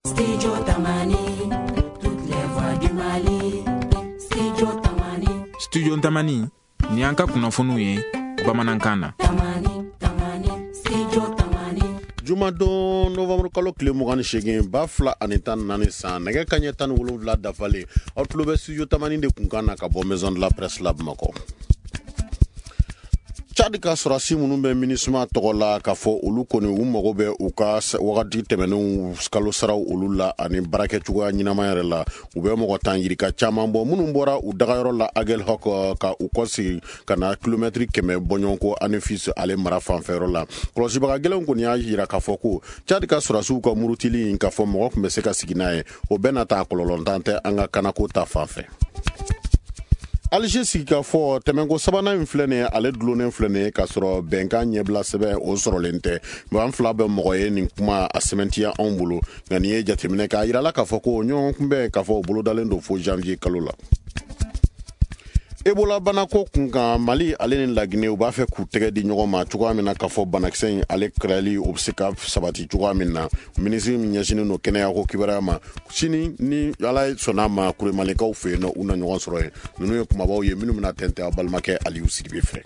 Studio Tamani, toutes les voix du Mali. Studio Tamani. Studio Tamani, ni an ka kunnafoniw ye bamanankan na. Tamani, Tamani, Studio Tamani. Jumadon novembre kalo tile 28 2014 san, nɛgɛ kaɲɛ 17 dafalen, aw tulo bɛ Studio Tamani de kunkan na ka bɔ Maison de la Presse la Bamakɔ. Tchad ka sɔrɔdasi minnu bɛ MINUSMA tɔgɔ la k'a fɔ olu kɔni u mago bɛ u ka wagati tɛmɛnenw kalo saraw olu la ani baarakɛcogoya ɲɛnama yɛrɛ la. U bɛ mɔgɔ tan yirika caman bɔ minnu bɔra u dagayɔrɔ la Aguelhok ka u kɔsegin ka na kilomɛtiri 100 bɔɲɔgɔnko Anefis ale mara fanfɛyɔrɔ la. Kɔlɔsibaga gɛlɛnw kɔni y'a jira k'a fɔ ko Tchad ka sɔrɔdasiw ka murutili in k'a fɔ mɔgɔ tun bɛ se ka sigi n'a ye, o bɛɛ n'a ta kɔlɔlɔntan tɛ an ka kanako ta fan fɛ. Alger sigikafɔ tɛmɛnko sabanan in filɛ nin ye, ale dulonnen filɛ nin ye k'a sɔrɔ bɛnkan ɲɛbila sɛbɛn o sɔrɔlen tɛ. An fila bɛ mɔgɔ ye nin kuma a sɛmɛntiya anw bolo, nka n'i ye jateminɛ k'a yirala k'a fɔ ko ɲɔgɔn kunbɛn k'a fɔ o bolodalen don fo janvier kalo la. Ebola banako kunkan, Mali ale ni Laginɛ u b'a fɛ k'u tɛgɛ di ɲɔgɔn ma cogoya min na k'a fɔ banakisɛ in ale kɛlɛli o bɛ se ka sabati cogoya min na. Minisiri min ɲɛsinnen don kɛnɛyako kibaruya ma, sini ni Ala sɔnna ma Kuremalikaw fɛ yen nɔ, u na ɲɔgɔn sɔrɔ yen. Ninnu ye kumabaw ye minnu bɛna tɛntɛn aw balimakɛ Aliyu Sidibe fɛ.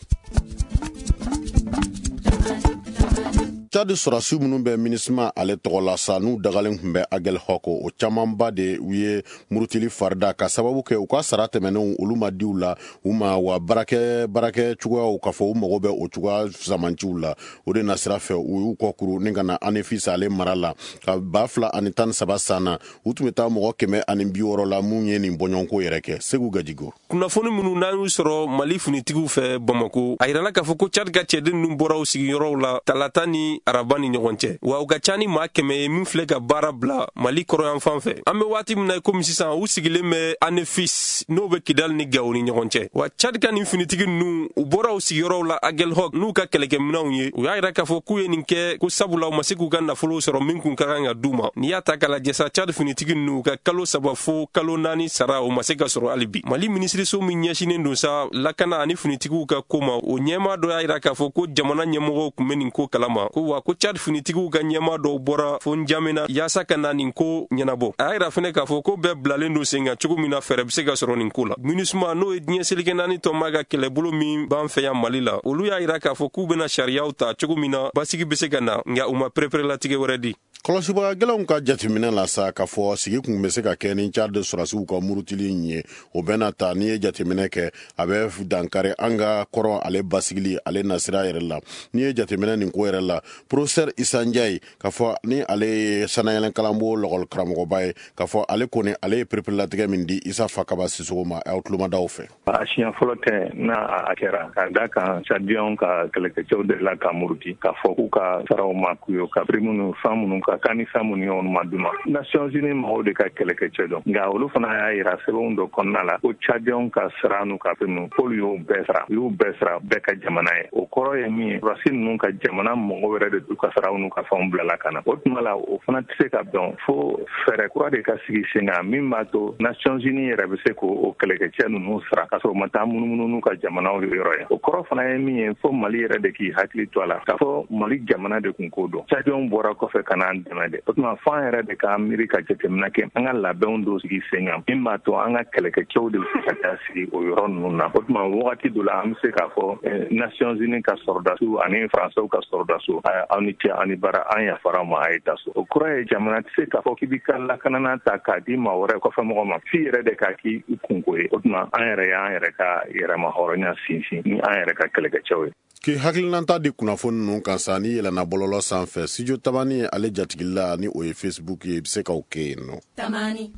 Tchad sɔrɔdasi minnu bɛ MINUSMA ale tɔgɔ la sa, n'u dagalen tun bɛ Aguelhok, o camanba de u ye murutili farida ka sababu kɛ u ka sara tɛmɛnenw olu ma diw la u ma, wa baarakɛ cogoyaw k'a fɔ u mago bɛ o cogoya zamanciw la. O de nasira fɛ u y'u kɔkuru ni ka na Anefis ale mara la ka 2013 san na, u tun bɛ taa mɔgɔ 160 la mun ye nin bɔɲɔgɔnko yɛrɛ kɛ. Segu Gajigo. Kunnafoni minnu n'an y'u sɔrɔ Mali finitigiw fɛ Bamako, a yirala k'a fɔ ko Tchad ka cɛden ninnu bɔra u sigiyɔrɔw la talata ni araba ni ɲɔgɔn cɛ, wa u ka ca ni maa 100 ye min filɛ ka baara bila Mali kɔrɔyanfan fɛ. An bɛ waati min na komi sisan, u sigilen bɛ Anefis n'o bɛ Kidali ni Gawo ni ɲɔgɔn cɛ. Wa Tchad ka nin finitigi ninnu, u bɔra u sigiyɔrɔw la Aguelhok n'u ka kɛlɛkɛminɛnw ye. U y'a yira k'a fɔ k'u ye nin kɛ ko sabula u ma se k'u ka nafolo sɔrɔ min kun ka kan ka d'u ma. N'i y'a ta k'a lajɛ sa, Tchad finitigi ninnu ka kalo 3 fo kalo 4 sara u ma se ka sɔrɔ hali bi. Mali minisiriso min ɲɛsinnen don sa lakana ani finitigiw ka ko ma, o ɲɛmaa dɔ y'a yira k'a fɔ ko jamana ɲɛmɔgɔw tun bɛ nin ko kalama, ko wa ko Tchad finitigiw ka ɲɛmaa dɔw bɔra fo N'Djamena yaasa ka na nin ko ɲɛnabɔ. A y'a yira fɛnɛ k'a fɔ ko bɛɛ bilalen don sen kan cogo min na fɛɛrɛ bɛ se ka sɔrɔ nin ko la. MINUSMA n'o ye diɲɛ seleke naani tɔnba ka kɛlɛbolo min b'an fɛ yan Mali la, olu y'a yira k'a fɔ k'u bɛna sariyaw ta cogo min na basigi bɛ se ka na, nka u ma pereperelatigɛ wɛrɛ di. Kɔlɔsibaga gɛlɛnw ka jateminɛ la sa k'a fɔ sigi kun bɛ se ka kɛ ni Tchad sɔrɔdasiw ka murutili in ye, o bɛna ta n'i ye jateminɛ kɛ a bɛ dankari an ka kɔrɔ ale basigili ale nasira yɛrɛ la. N'i ye jateminɛ nin ko yɛrɛ la, professeur Issa Ndiaye k'a fɔ ni ale ye sanayɛlɛn kalanbo lɔgɔli karamɔgɔba ye, k'a fɔ ale kɔni ale ye pereperelatigɛ min di Issa Fakaba Sissoco ma, aw tulomadaw fɛ. A siɲɛ fɔlɔ tɛ n'a a kɛra, ka da kan Tchadiens ka kɛlɛkɛcɛw delila ka muruti k'a fɔ k'u ka saraw ma k'u ye, ka prime minnu fɛn minnu ka kan ni fɛn minnu ye olu ma d'u ma. Nations Unies mɔgɔw de ka kɛlɛkɛcɛ dɔn, nka olu fana y'a yira sɛbɛnw dɔ kɔnɔna la ko Tchadiens ka sara n'u ka prime k'olu y'o bɛɛ sara, u y'u bɛɛ sara bɛɛ ka jamana ye. O kɔrɔ ye min ye, sɔrɔdasi ninnu ka jamana mɔgɔ wɛrɛ de t'u ka saraw n'u ka fɛnw bilala ka na. O tuma la o fana tɛ se ka bɛn fo fɛɛrɛ kura de ka sigi sen kan min b'a to Nations Unies yɛrɛ bɛ se k'o kɛlɛkɛcɛ ninnu sara k'a sɔrɔ u ma taa munumunu n'u ka jamanaw yɔrɔ ye. O kɔrɔ fana ye min ye, fo Mali yɛrɛ de k'i hakili to a la k'a fɔ Mali jamana de kun ko don. Tchadiens bɔra kɔfɛ ka n'an dɛmɛ de. O tuma fo an yɛrɛ de k'an miiri ka jateminɛ kɛ, an ka labɛnw dɔw sigi sen kan min b'a to an ka kɛlɛkɛcɛw de bɛ se ka taa sigi o yɔrɔ ninnu na. O tuma wagati dɔ la an bɛ se k'a fɔ Nations Unies ka sɔrɔdasiw ani Faransɛw ka sɔrɔdasiw, aw ni ce, aw ni baara, an yafara ma, a ye taa so. O kɔrɔ ye jamana tɛ se k'a fɔ k'i b'i ka lakanana ta k'a di maa wɛrɛ kɔfɛ mɔgɔ ma, f'i yɛrɛ de k'a k'i kunko ye. O tuma an yɛrɛ y'an yɛrɛ ka yɛrɛma hɔrɔnya sinsin ni an yɛrɛ ka kɛlɛkɛcɛw ye. K'i hakilinata di kunnafoni ninnu kan sa, n'i yɛlɛnna bɔlɔlɔ sanfɛ, Studio Tamani ale jatigila ni o ye Facebook ye, i bɛ se k'o kɛ yen nɔ. Tamani.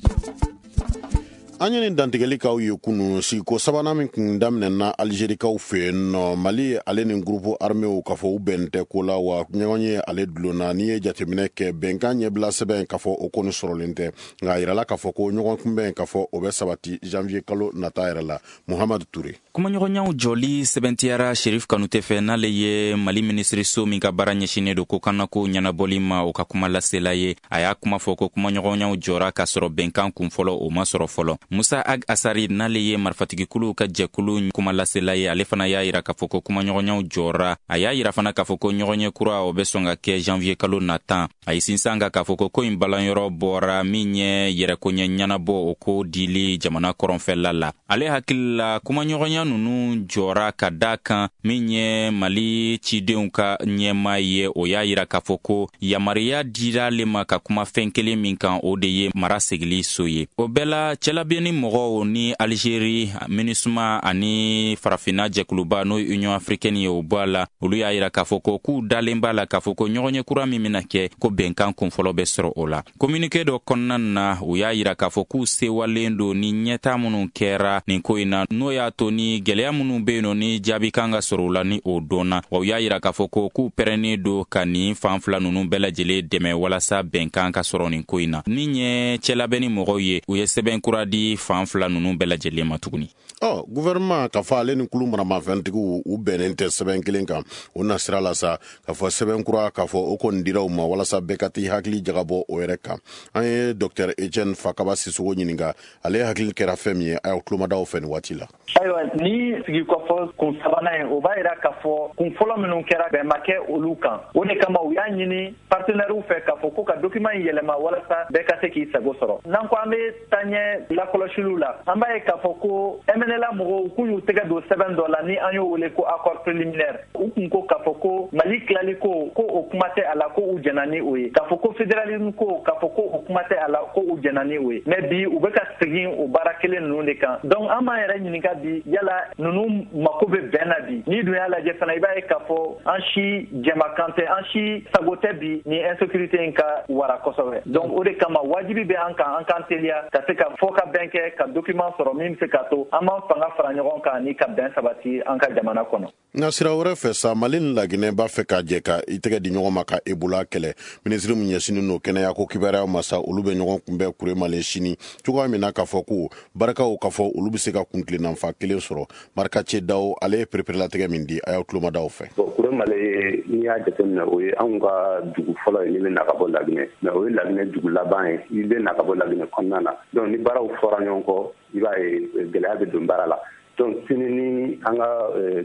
An ye nin dantigɛli k'aw ye kunun, sigiko sabanan min kun daminɛna Algerikaw fɛ yen nɔ, Mali ale ni groupe arméw k'a fɔ u bɛn tɛ ko la, wa ɲɔgɔn ye ale dulonna. N'i ye jateminɛ kɛ bɛnkan ɲɛbila sɛbɛn k'a fɔ o kɔni sɔrɔlen tɛ, nka a yirala k'a fɔ ko ɲɔgɔn kunbɛn k'a fɔ o bɛ sabati janvier kalo nata yɛrɛ la. Muhamadu Ture. Kumaɲɔgɔnyaw jɔli sɛbɛntiyara Sherif Kanute fɛ, n'ale ye Mali minisiriso min ka baara ɲɛsinnen don ko kannako ɲɛnabɔli ma, o ka kuma lasela ye. A y'a kuma fɔ ko kumaɲɔgɔnyaw jɔra k'a sɔrɔ bɛnkan kun fɔlɔ o ma sɔrɔ fɔlɔ. Musa Ag Assarid, n'ale ye marifatigikuluw ka jɛkulu kumalasela ye, ale fana y'a yira k'a fɔ ko kumaɲɔgɔnyaw jɔra. A y'a yira fana k'a fɔ ko ɲɔgɔnye kura, o bɛ sɔn ka kɛ janvier kalo natan. A ye sinsin kan k'a fɔ ko ko in balanyɔrɔ bɔra min ye yɛrɛkoɲɛ ɲɛnabɔ, o ko dili jamana kɔrɔnfɛla la. Ale hakili la, kumaɲɔgɔnya nunu jɔra ka da kan min ye Mali cidenw ka ɲɛma ye, o y'a yira k'a fɔ ko yamaruya dira ale ma ka kuma fɛn kelen min kan, o de ye mara segili so ye. O bɛɛ la, cɛlabenni mɔgɔw ni Alizeri, MINUSMA ani Farafinna jɛkuluba, n'o ye Union africaine ye, o bɔ a la, olu y'a yira k'a fɔ ko k'u dalen b'a la k'a fɔ ko ɲɔgɔnye kura min bɛna kɛ, ko bɛnkan kunfɔlɔ bɛ sɔrɔ o la. Communiqué dɔ kɔnɔna na, u y'a yira k'a fɔ k'u sewalen don ni ɲɛta minnu kɛra nin ko in na, n'o y'a to ni gwɛlɛya minnu be yen nɔ, ni jaabi kan ka sɔrɔ u la, ni o dɔnna. Wa u y'a yira k'a fɔ ko k'u pɛrɛnnen don ka nin fan fila nunu bɛɛ lajɛlen dɛmɛ walasa bɛnkan ka sɔrɔ nin ko in na. Min ye cɛlabɛnni mɔgɔw ye, u ye sɛbɛn kura di fan fila nunu bɛɛ lajɛlen ma tuguni. Ɔ, gouvernement ka fɔ ale ni kulu maramafɛntigiw, u bɛnnen tɛ sɛbɛn kelen kan. O na sira la sa, k'a fɔ sɛbɛn kura, k'a fɔ o kɔni dira u ma walasa bɛɛ ka t'i hakili jagabɔ o yɛrɛ kan. An ye Dr Etienne Fakaba Sisoko ɲininka ale hakili kɛra fɛn min ye. A y'aw tulomadaw fɛ nin waati la. Ayiwa, ni sigi kɔfɔ kun sabanan ye, o b'a yira k'a fɔ kun fɔlɔ minnu kɛra, bɛn ma kɛ olu kan. O de kama u y'a ɲini partenaires fɛ k'a fɔ ko ka document in yɛlɛma walasa bɛɛ ka se k'i sago sɔrɔ. N'an ko an bɛ taaɲɛ lakɔlɔsiliw la, an b'a ye k'a fɔ ko MNLA mɔgɔw k'u y'u tɛgɛ don sɛbɛn dɔ la ni an y'o wele ko accord préliminaire. U kun ko k'a fɔ ko Mali tilali ko, ko o kuma tɛ a la, ko u jɛna ni o ye, k'a fɔ ko fédéralisme ko, k'a fɔ ko o kuma tɛ a la, ko u jɛna ni o ye. Mais bi, u bɛ ka segin o baara kelen ninnu de kan. Donc an b'an yɛrɛ ɲininka bi, yala ninnu mako bɛ bɛn na bi? N'i dun y'a lajɛ fana, i b'a ye k'a fɔ an si jɛmakan tɛ, an si sago tɛ bi ni insécurité in ka wara kosɛbɛ. Donc o de kama wajibi bɛ an kan, an k'an teliya ka se ka fɔ ka bɛn kɛ, ka document sɔrɔ min bɛ se k'a to an b'an fanga fara ɲɔgɔn kan ni ka bɛn sabati an ka jamana kɔnɔ. Nka sira wɛrɛ fɛ sa, Mali ni Laginɛ b'a fɛ ka jɛ ka i tɛgɛ di ɲɔgɔn ma ka Ebola kɛlɛ. Minisiri min ɲɛsinnen don kɛnɛya ko kibaruyaw ma sa, olu bɛ ɲɔgɔn kunbɛn Kuremale sini cogoya min na, k'a fɔ ko barikaw, k'a fɔ olu bɛ se ka kuntilennanfa kelen sɔrɔ. Marika Daw, ale ye pereperelatigɛ min di, a y'aw tulomadaw fɛ. Bon, Kuremale, n'i y'a jateminɛ, o ye anw ka dugu fɔlɔ ye n'i bɛ na ka bɔ Laginɛ, mais o ye Laginɛ dugu laban ye i bɛ na ka bɔ Laginɛ kɔnɔna na. Donc ni baaraw fɔra ɲɔgɔn kɔ, i b'a ye gɛlɛya bɛ don baara la. Donc sini ni an ka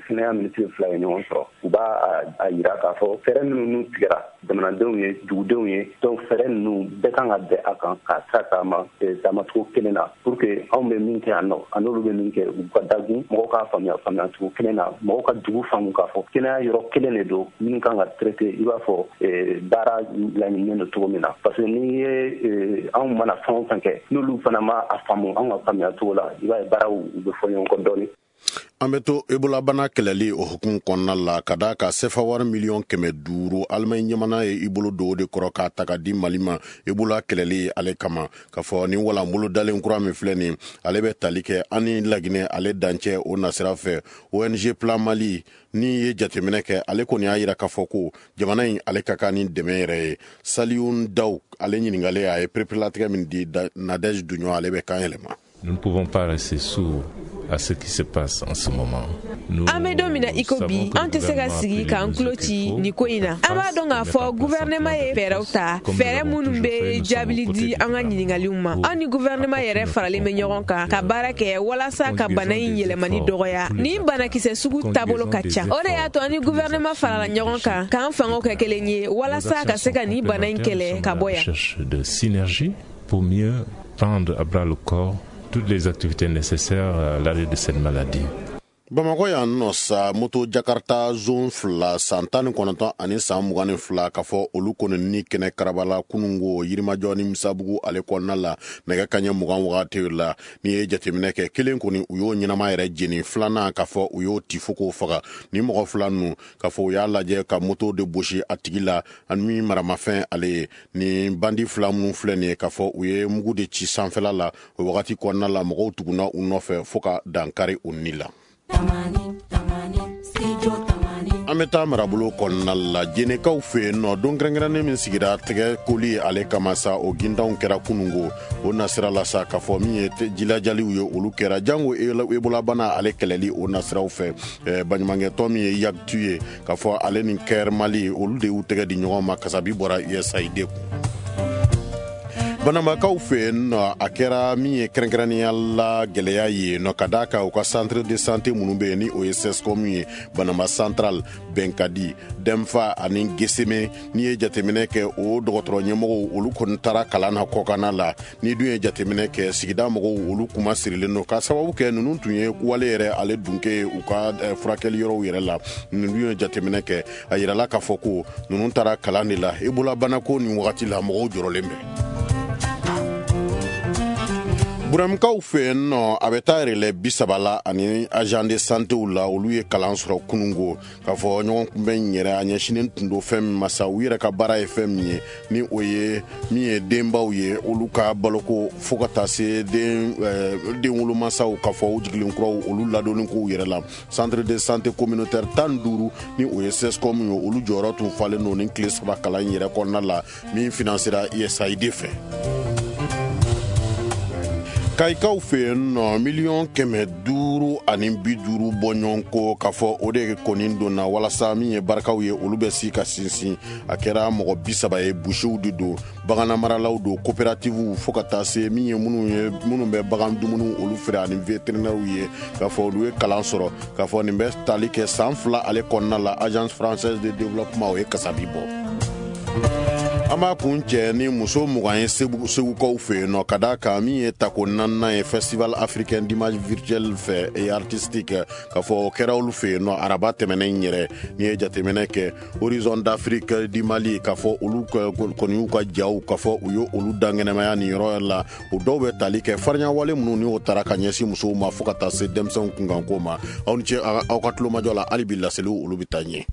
kɛnɛya minisiri fila ye ɲɔgɔn sɔrɔ, u b'a a yira k'a fɔ fɛɛrɛ minnu tigɛra jamanadenw ye, dugudenw ye, donc fɛɛrɛ ninnu bɛɛ kan ka bɛn a kan k'a sira taama taamacogo kelen na, pour que anw bɛ min kɛ yan nɔ, a n'olu bɛ min kɛ, u ka dagun, mɔgɔw k'a faamuya faamuyacogo kelen na, mɔgɔw ka dugu faamu k'a fɔ kɛnɛya yɔrɔ kelen de don minnu kan ka traiter, i b'a fɔ baara laɲininen don cogo min na. Parce que n'i ye anw mana fɛn o fɛn kɛ, n'olu fana ma a faamu anw ka faamuya cogo la, i b'a ye baaraw u bɛ fɔ ɲɔgɔn kɔ dɔɔnin. An bɛ to ebolabana kɛlɛli o hukumu kɔnɔna la, ka da ka sefa wari 500 miliyɔn, Alimaɲi jamana ye i bolo don o de kɔrɔ k'a ta ka di Mali ma ebola kɛlɛli ale kama. K'a fɔ ni walan bolo dalen kura min filɛ nin, ale bɛ tali kɛ an ni Laginɛ ale dancɛ o nasira fɛ. ONG Plan Mali ni ye jateminɛ kɛ, ale kɔni y'a yira k'a fɔ ko jamana in ale ka kan ni dɛmɛ yɛrɛ ye. Saliyun Daw, ale ɲininkalen, a ye pereperelatigɛ min di, Nadège Duɲɔ, ale bɛ kan yɛlɛma. Nous ne pouvons pas rester sourds à ce qui se passe en ce moment. An bɛ don min na i ko bi, an tɛ se ka sigi k'an tulo ci nin ko in na. An b'a dɔn k'a fɔ guvɛrɛnɛma ye fɛɛrɛw ta, fɛɛrɛ minnu bɛ jaabili di an ka ɲiningaliw ma. An ni guvɛrɛnɛma yɛrɛ faralen bɛ ɲɔgɔn kan ka baara kɛ walasa ka bana in yɛlɛmani dɔgɔya. Ni banakisɛ sugu taabolo ka ca, o de y'a to an ni guvɛrɛnɛma farala ɲɔgɔn kan k'an fangaw kɛ kelen ye walasa ka se ka nin bana in kɛlɛ ka bɔ yan. De synergie pour mieux prendre à bras le corps toutes les activités nécessaires à l'arrêt de cette maladie. Bamakɔ yan nɔ sa, moto Jakarta zone fila, san 19 ani san 22, k'a fɔ olu kɔni ni kɛnɛ karabala kunungo Yirimajɔ ni Misabugu ale kɔnɔna la nɛgɛ kaɲɛ 20 wagati la. N'i ye jateminɛ kɛ, kelen kɔni, u y'o ɲɛnama yɛrɛ jeni, filanan, k'a fɔ u y'o ti fo k'o faga. Ni mɔgɔ fila ninnu, k'a fɔ u y'a lajɛ ka moto de gosi a tigi la ani min maramafɛn ale ye. Ni bandi fila minnu filɛ nin ye, k'a fɔ u ye mugu de ci sanfɛla la o wagati kɔnɔna la, mɔgɔw tugunna u nɔfɛ fo ka dankari u ni la. An bɛ taa marabolo kɔnɔna la, Jenekaw fɛ yen nɔ. Don kɛrɛnkɛrɛnnen min sigira tɛgɛ koli ale kama sa, o gintanw kɛra kunungo. O nasira la sa, k'a fɔ min ye jilajaliw ye, olu kɛra jango ebolabana ale kɛlɛli o nasiraw fɛ. Baɲumankɛtɔn min ye Yagtu ye, k'a fɔ ale ni Kɛr Mali, olu de y'u tɛgɛ di ɲɔgɔn ma. Kasabi bɔra USAID kun. Banambakaw fɛ yen nɔ, a kɛra min ye kɛrɛnkɛrɛnnenya la gɛlɛya ye nɔ, ka d'a kan u ka centre de santé minnu bɛ yen, ni o ye CSCOM ye, Banamba Central, Bɛnkadi, Dɛnfa ani Geseme, n'i ye jateminɛ kɛ, o dɔgɔtɔrɔ ɲɛmɔgɔw olu kɔni taara kalan na kɔkanna la. Ni dun ye jateminɛ kɛ, sigida mɔgɔw olu kuma sirilen don, ka sababu kɛ ninnu tun ye wale yɛrɛ ale dunke ye u ka furakɛli yɔrɔw yɛrɛ la. Ninnu dun ye jateminɛ kɛ, a yirala k'a fɔ ko ninnu taara kalan de la. Ebola banako nin wagati la, mɔgɔw jɔrɔlen bɛ. Burɛmukaw fɛ yen nɔ, a bɛ taa yɛrɛlɛ 30 la ani agent de santéw la, olu ye kalan sɔrɔ kunungo, k'a fɔ ɲɔgɔn kunbɛn yɛrɛ a ɲɛsinnen tun don fɛn min ma sa, u yɛrɛ ka baara ye fɛn min ye, ni o ye min ye denbaw ye, olu ka baloko, fo ka taa se den wolomasaw, k'a fɔ u jigilen kuraw, olu ladonni kow yɛrɛ la. Centre de santé communautaire 15, ni o ye CSCOM ye, olu jɔyɔrɔ tun falen don ni tile 3 kalan yɛrɛ kɔnɔna la, min financera USAID fɛ. Kayikaw fɛ yen nɔ, 550 miliyɔn bɔɲɔgɔnko, k'a fɔ o de kɔni donna walasa min ye barikaw ye, olu bɛ si ka sinsin. A kɛra mɔgɔ 30 ye, busiw de don, baganmaralaw don, coopératives, fo ka taa se min ye minnu ye minnu bɛ bagan dumuniw olu feere, ani vétérinaires ye, k'a fɔ olu ye kalan sɔrɔ, k'a fɔ nin bɛ tali kɛ san 2 ale kɔnɔna la. Agence française de développement, o ye kasabi bɔ. An b'a kun cɛ ni muso 20 ye Segukaw fɛ yen nɔ, ka d'a kan min ye tako naaninan ye Festival africain d'image virtuelle fɛ et artistique, k'a fɔ o kɛra olu fɛ yen nɔ araba tɛmɛnen yɛrɛ. N'i ye jateminɛ kɛ, Horizon d'Afrique du Mali, k'a fɔ olu kɔni y'u ka jaw, k'a fɔ u ye olu dankɛnɛmaya nin yɔrɔ la. O dɔw bɛ tali kɛ farinyawale minnu ni o taara ka ɲɛsin musow ma, fo ka taa se denmisɛnw kunkanko ma. Aw ni ce aw ka tulomajɔ la. Hali bi laseliw olu bɛ taa ɲɛ.